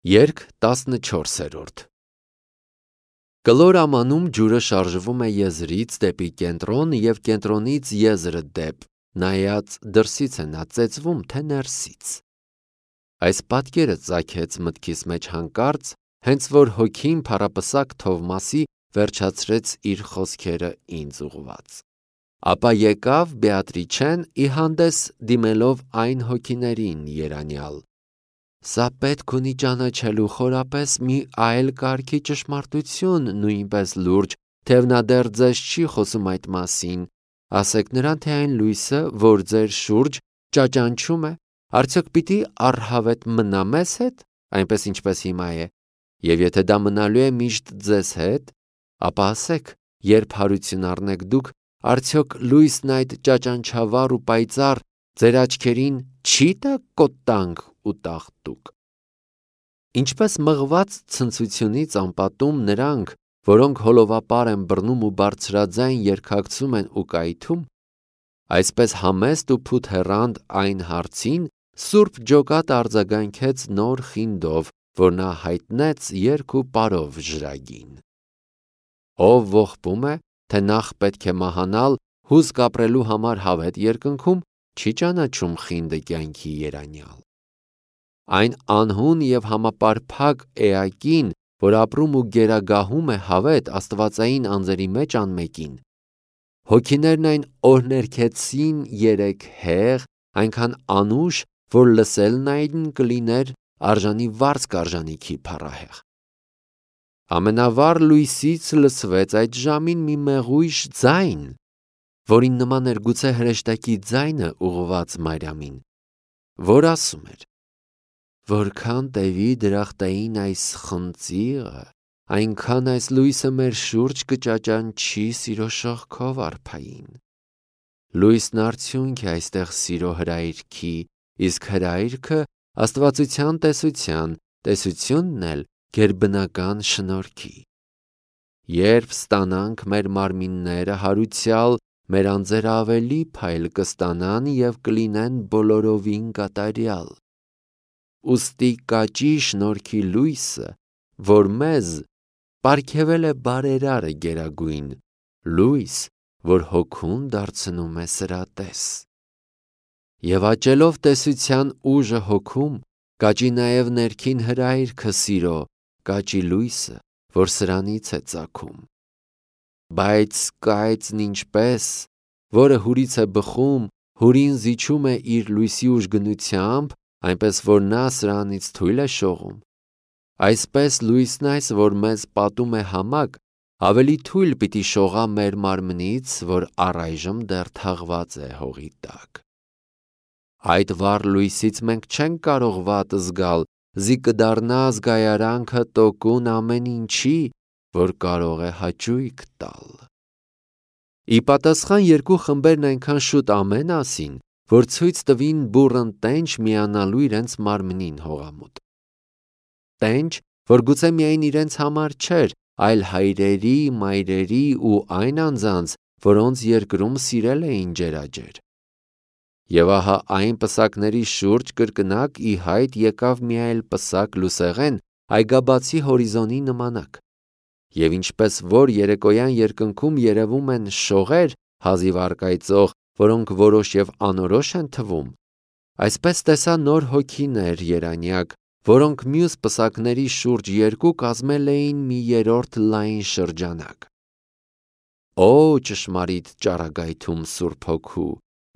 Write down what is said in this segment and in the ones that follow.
Երգ 14-րդ Կլոր ամանում ջուրը շարժվում է եզրից դեպի կենտրոն և կենտրոնից եզրը դեպ, նայած դրսից է նա ծեծվում, թե ներսից։ Այս պատկերը ծագեց մտքիս մեջ հանկարծ, հենց որ հոգին փառապսակ Թովմասի վերջացրեց իր խոսքերը ինձ ուղղված։ Ապա եկավ Բեատրիչեն ի հանդես դիմելով այն հոգիներին երանյալ. Սա պետք ունի ճանաչելու խորապես մի այլ կարգի ճշմարտություն, նույնպես լուրջ, թեև նա դեռ ձեզ չի խոսում այդ մասին, ասեք նրան, թե այն լույսը, որ ձեր շուրջ ճաճանչում է, արդյոք պիտի առհավետ մնա մեզ հետ, այնպես ինչպես հիմա է, և եթե դա մնալու է միշտ ձեզ հետ, ապա ասեք, երբ հարություն առնեք դուք, արդյոք լույսն այդ ճաճանչավառ ու պայծառ ձեր աչքերին չի տա կոտանք ու տաղտուկ։ Ինչպես մղված ցնցությունից անպատում նրանք, որոնք հոլովապար են բռնում ու բարձրաձայն երգակցում են ու կայթում, այսպես համեստ ու փութեռանդ այն հարցին Սուրբ Ջոկատը արձագանքեց նոր խինդով, որ նա հայտնեց երգ ու պարով ժրագին։ Ով ողբում է, թե նախ պետք է մահանալ, հուսք ապրելու համար հավետ երկնքում, չի ճանաչում խինդը կյանքի երանյալ։ Այն անհուն և համապարփակ էակին, որ ապրում ու գերագահում է հավետ աստվածային անձերի մեջ անմեկին, հոգիներն այն օրհներգեցին երեք հեղ, այնքան անուշ, որ լսելն այն կլիներ արժանի վարձ կարժանիքի փառահեղ։ Ամենավառ լույսից լսվեց այդ ժամին մի մեղույշ ձայն, որին նման էր գուցե հրեշտակի ձայնը ուղղված Մարիամին, որ ասում էր. Որքան տևի դրախտային այս խնձիղը, այնքան այս լույսը մեր շուրջ կճաճանչի սիրո շողքով արփային։ Լույսն արդյունք է այստեղ սիրո հրայրքի, իսկ հրայրքը աստվածության տեսության, տեսությունն էլ գերբնական շնորհքի։ Երբ ստանանք մեր մարմինները հարուցյալ, մեր անձերը ավելի փայլ կստանան և կլինեն բոլորովին կատարյալ։ Ուստի կաճի շնորհքի լույսը, որ մեզ պարգևել է բարերարը գերագույն, լույս, որ հոգուն դարձնում է սրատես։ Եվ աճելով տեսության ուժը հոգում, կաճի նաև ներքին հրայրքը սիրո, կաճի լույսը, որ սրանից է ծագում։ Բայց կայծն ինչպես, որը հուրից է բխում, հուրին զիջում է իր լույսի ուժգնությամբ, այնպես որ նա սրանից թույլ է շողում, այսպես լույսն այս, որ մեզ պատում է համակ, ավելի թույլ պիտի շողա մեր մարմնից, որ առայժմ դեռ թաղված է հողի տակ։ Այդ վառ լույսից մենք չենք կարող վատ զգալ, զի կդառնա զգայարանքը տոկուն ամեն ինչի, որ կարող է հաճույք տալ։ Ի պատասխան երկու խմբերն այնքան շուտ ամեն ասին, որ ցույց տվին բուռն տենչ միանալու իրենց մարմնին հողամուտ։ Տենչ, որ գուցե միայն իրենց համար չէր, այլ հայրերի, մայրերի ու այն անձանց, որոնց երկրում սիրել էին ջերաջեր։ Եվ ահա այն պսակների շուրջ կրկնակ ի հայտ եկավ մի այլ պսակ լուսեղեն, այգաբացի հորիզոնի նմանակ։ Եվ ինչպես որ երեկոյան երկնքում երևում են շողեր հազիվ առկայծող, որոնք որոշ և անորոշ են թվում, այսպես տեսա նոր հոգիներ երանյակ, որոնք մյուս պսակների շուրջ երկու կազմել էին մի երրորդ լայն շրջանակ։ Օ ճշմարիտ ճառագայթում Սուրբ Հոգու,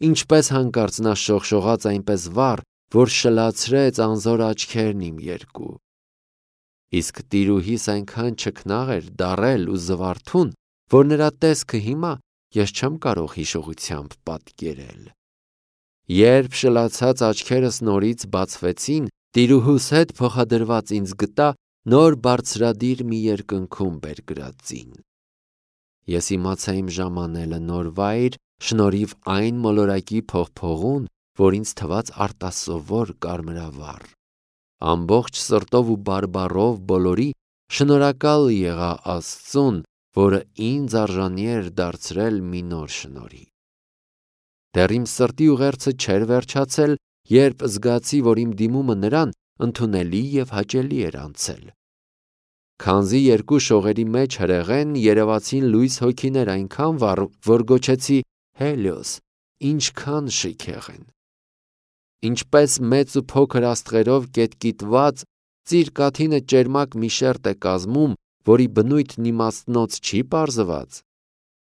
ինչպես հանկարծ նա շողշողաց այնպես վառ, որ շլացրեց անզոր աչքերն իմ երկու։ Իսկ տիրուհիս այնքան չքնաղ էր, դառել ու զվարթուն, որ նրա տեսքը հիմա ես չեմ կարող հիշողությամբ պատկերել։ Երբ շլացած աչքերս նորից բացվեցին, տիրուհուս հետ փոխադրված ինձ գտա նոր բարձրադիր մի երկնքում բերկրածին։ Ես իմացա իմ ժամանելը նոր վայր, շնորհիվ այն մոլորակի փողփողուն, որ ինձ թվաց արտասովոր կարմրավառ։ Ամբողջ սրտով ու բարբառով բոլորի շնորհակալ եղա Աստծուն, որը ինձ արժանի էր դարձրել մի նոր շնորհի։ Դեռ իմ սրտի ուղերձը չէր վերջացել, երբ զգացի, որ իմ դիմումը նրան ընդունելի եւ հաճելի էր անցել։ Քանզի երկու շողերի մեջ հրեղեն երևացին լույս հոգիներ այնքան վառ, որ գոչեցի Հելիոս, ինչքան շքեղ են։ Ինչպես մեծ ու փոքր աստղերով կետկիտված ծիր-կաթինը ճերմակ մի շերտ է կազմում, որի բնույթն իմաստնոց չի պարզված,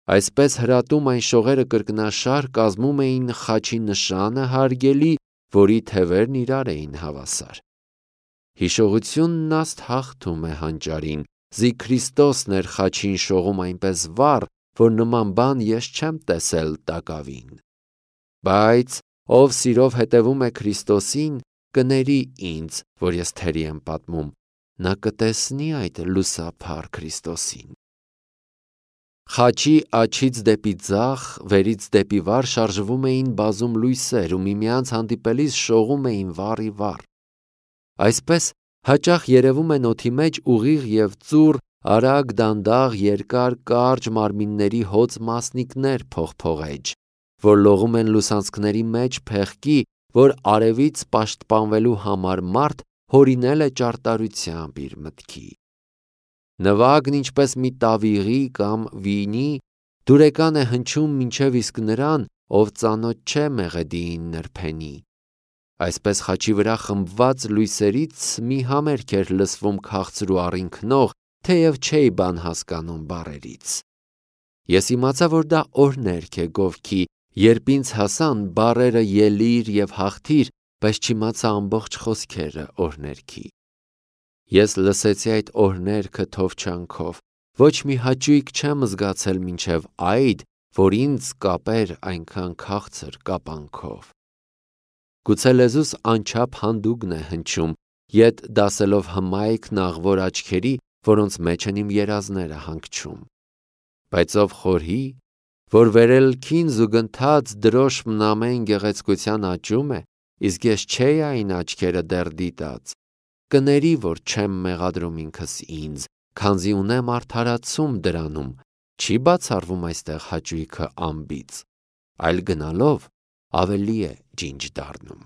այսպես հրատում այն շողերը կրկնաշար կազմում էին խաչի նշանը հարգելի, որի թևերն իրար էին հավասար։ Հիշողությունն աստ հաղթում է հանճարին, զի Քրիստոսն էր խաչին շողում այնպես վառ, որ նման բան ես չեմ տեսել տակավին։ Բայց ով սիրով հետևում է Քրիստոսին, կների ինձ, որ ես թերի եմ պատմում, նա կտեսնի այդ լուսափառ Քրիստոսին։ Խաչի աջից դեպի ձախ, վերից դեպի վար շարժվում էին բազում լույսեր ու միմյանց հանդիպելիս շողում էին վառի վառ։ Այսպես հաճախ երևում են օդի մեջ ուղիղ և ծուռ, արագ, դանդաղ, երկար, կարճ մարմինների հոծ մասնիկներ փողփողեջ, որ լողում են լուսանցքների մեջ փեղկի, որ արևից պաշտպանվելու համար մարդ հորինել է ճարտարությամբ իր մտքի։ Նվագն ինչպես մի տավիղի կամ վինի դուրեկան է հնչում մինչև իսկ նրան, ով ծանոթ չէ մեղեդիին նրբենի։ Այսպես խաչի վրա խմբված լույսերից մի համերգ էր լսվում քաղցր ու առինքնող, թեև չէի բան հասկանում բառերից։ Ես իմացա, որ դա օրհներգ է գովքի, երբ ինձ հասան բառերը ելիր և հաղթիր, բայց չիմացա ամբողջ խոսքերը օրհներգի։ Ես լսեցի այդ օրհներգը թովչանքով, ոչ մի հաճույք չեմ զգացել մինչև այդ, որ ինձ կապեր այնքան քաղցր կապանքով։ Գուցե լեզուս անչափ հանդուգն է հնչում, ետ դասելով հմայք նաղվոր աչքերի, որոնց մեջ են իմ երազները հանգչում։ Բայց ով խորհի, որ վերելքին զուգընթաց դրոշմն ամեն գեղեցկության աճում է, իսկ ես չէի այն աչքերը դեռ դիտած, կների, որ չեմ մեղադրում ինքս ինձ, քանզի ունեմ արդարացում դրանում, չի բացառվում այստեղ հաճույքը ամբից, այլ գնալով ավելի է ջինջ դառնում։